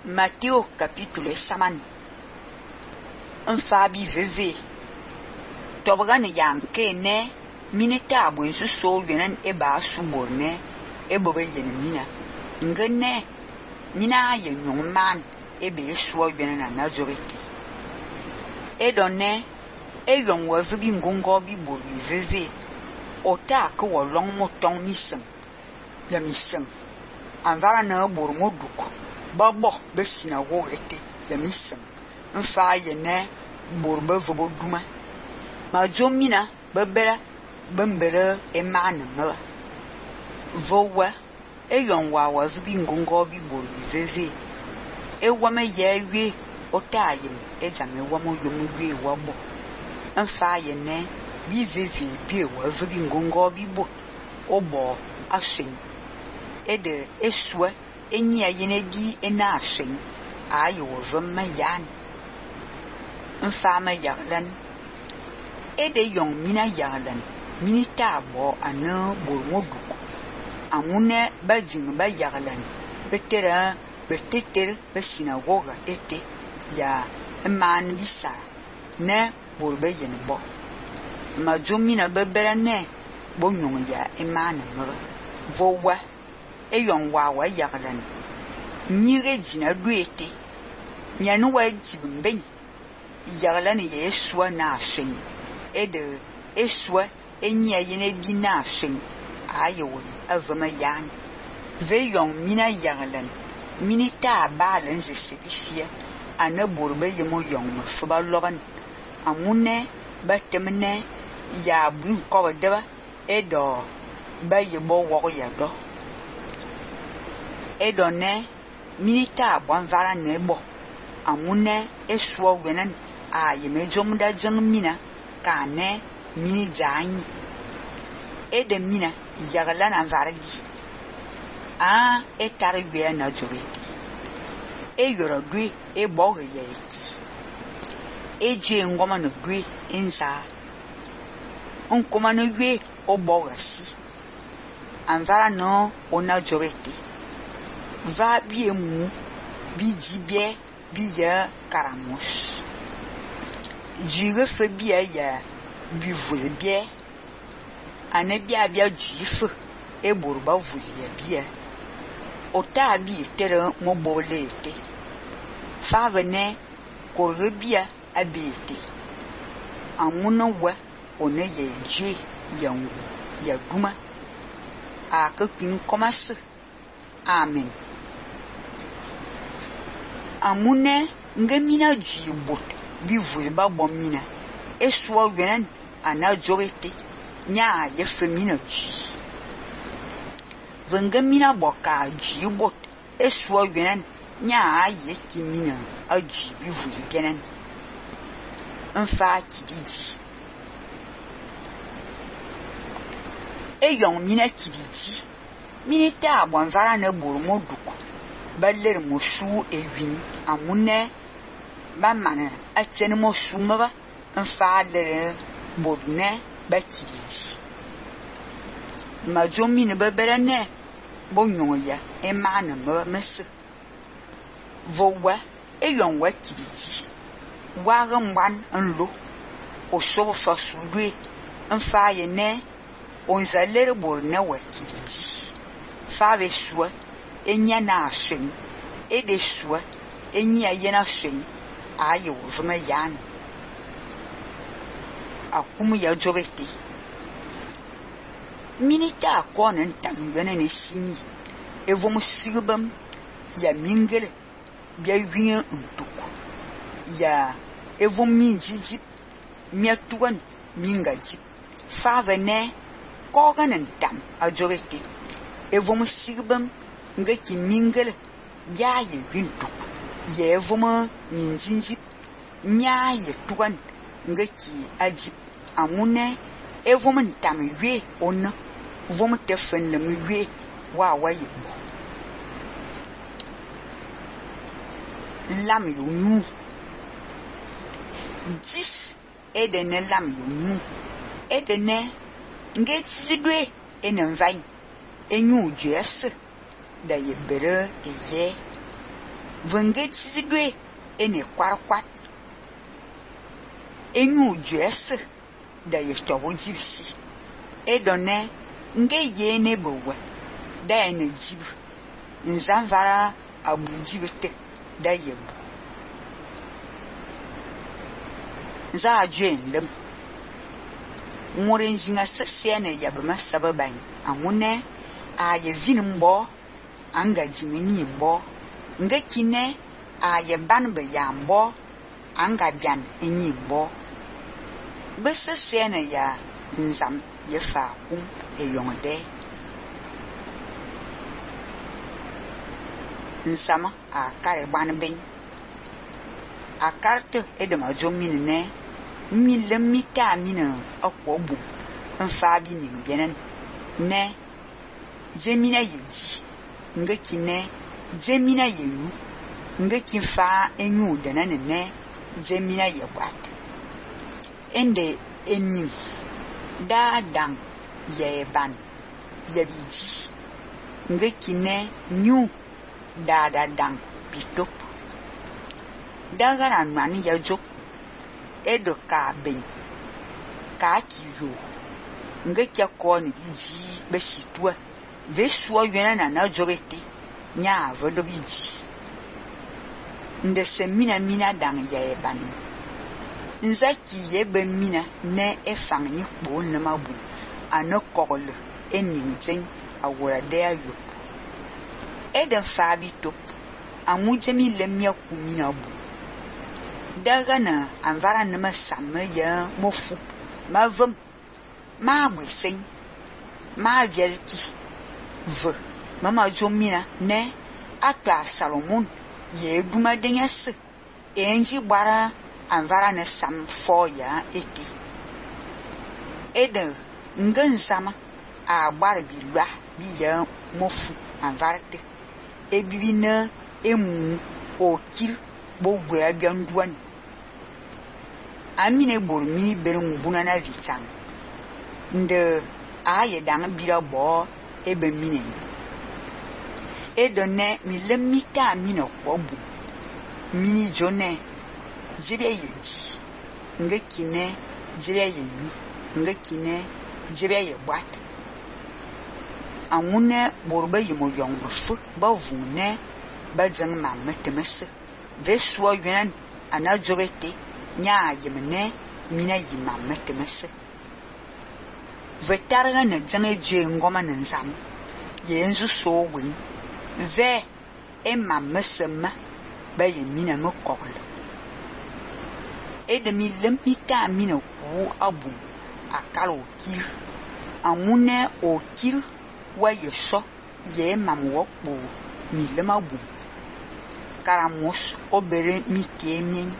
Matthieu capitule saman. Fabi veve. Tobgan yanke ne minita buen so yenen eba suborne ebobe yen mina. Ngene mina yen yon man ebe so yenen na Nazareth. Edonne eyon wa vibi ngongo bi bori veve. Ota ke wo long moton misen. Ya misen. Anvara na bor moduk. Babo be sinagogue ete ya misen. Nfa yene bor be vobo duma. Ma jomina bebera bembere emana mwa. Vowa eyon wa vibi ngongo bi bori veve. Ewame yewe otayen ejame wamo yomwe wabo. Nfa yene bi veve bi wa vibi ngongo bi bo obo ashen. Ede eswe enyi ayene di ena ashen ayo vemme yan. Nfa yaglan. Ede yon mina yaglan. Minita bo ane bormoduk. Amune bajing ba yaglan. Betera beteter be sinagoga ete ya man bisa ne borbe yen bo. Ma jomina bebera ne bonyon ya emana mro. Vowa eyon wa yaglan. Nyire jina duete. Nyanu wa jibimben. Yaglan ye eswa na ashen. Ede eswa enyi ayene di na ashen. Ayo avama yan. Veyon mina yaglan. Minita balan je sebifia. Ane borbe yemo yon mfuba logan. Amune batemne ya bun koba deba. Edo ba yebo woko yado. Edo ne minita bonvara nebo. Amune eswa wenen a yeme jomda jang mina ka ne mini janyi. Ede mina yaglan anvara di. A etari be na joreti. E yoro dwe e boge ye eti. Eje ngoma no dwe enza. Onkoma no dwe o boge si. Anvara no ona joreti. Va bi emu bi jibie bi ya karamos. Jire fe bi ya bi vule bie. Ane bia jife e borba vule ya bia. Ota bi tere mo bole ete. Favene korre bia abete. Amuna wa one ye je yangu ya duma. A ke kin komase. Amen. Amune ngemina jibot bi vulba bomina. Eswa wenen ana jorete. Nya ye femina ji. Vengemina boka jibot eswa wenen nya ye kimina aji bi vulbenen. Nfa kibidi. Eyon mina kibidi. Minita bonvara ne bormo duku. Baler mosu ewin amune ba mana atene mosu maba nfa le bodne ba kibidi. Ma jomi ne bebere ne bonyon ya emana maba mese. Vowa eyon wa kibidi. Wa gamban nlo osobo fasudwe nfa ye ne onzalere borne wa kibidi. Fave swa enya na ashen. Ede swa enyi ayena ashen. Ayo vuma yan. Akumu ya jobete. Minita akone ntam yone ne sini. Evom sigbam ya mingele bia wiye ntuku. Ya evom minjiji miatuan mingaji. Fave ne kogan ntam ajobete. Evom sigbam nga ki mingele bia ye wintuk. Ye evom minjinji mia ye tuan nga ki ajip. Amune evom ntam we ona. Vom tefen le we wa ye bo. Lam yo nu. 10 edene lam yo nu. Edene nga tsidwe enenvai. Enyu jese da ye bere eye. Venge tsidwe ene kwarkwat. Enyu juese da ye tobo jibsi. Edone nge yene bowe da ene jib. Nzamvara abu jibete da ye bu. Nza ajwe nlem. Nwore njinga sesiene yabama sababan. Amune a ye vin mbo anga jingini mbo. Nge kine a ye banbe ya mbo anga bian enyi mbo. Be sesiene ya nzam ye fa kum e yongde. Nsama a kare ban ben. A karte edema jomine ne. Mille mita mine akwobu. Nfabi ni bienen. Ne. Jemina ye di. Nge kine. Jemina ye yu. Nge kinfa enyu denane ne. Jemina ye wat. Ende enyu. Da dang ye ban. Ye biji. Nge kine nyu. Da dang pitop. Dagara nwani ya jok. Edo ka ben. Ka kiyo. Nge kya koni biji beshitwa. Veswa yena na jogete. Nya vodo biji. Nde se mina dang ye ban. Nzaki ye ben mina ne efang ni kpo nemabu. Ano kokole eninjen awora dea yo. Eden fabi top. Amujemi lemya kumina bu. Daga na anvara nema samme ya mofu. Ma vem. Ma bwesen. Ma velki. Ve. Mama jomina ne. Atwa Salomon. Ye duma denyase. Enji bara anvara ne sam fo ya ete. Eden ngen sama. A bara bilwa. Bi ya mofu anvara te. Ebibi na emu okil bo gwe abianduan. Amine bor mini bere mbuna na vitang. Nde aye dang bira bo ebe mine. Edone mi lemita mine kwobu. Mini jone jire ye di. Nge kine jire ye yu. Nge kine jire ye bat. Amune borbe yimo yong fu ba vune ba jeng mamme temese. Veswa yunan anajorete. Nya yemene mina yimamme temese. Vetarga ne jange jwe ngoma nzam. Yenzu so win. Ve e mamme sema ba ye mina me kokle. E de mi lempita mina ku abu akala okil. Amune okil wa ye so ye mam wokpo mi lema bu. Karamos obere mi kemien.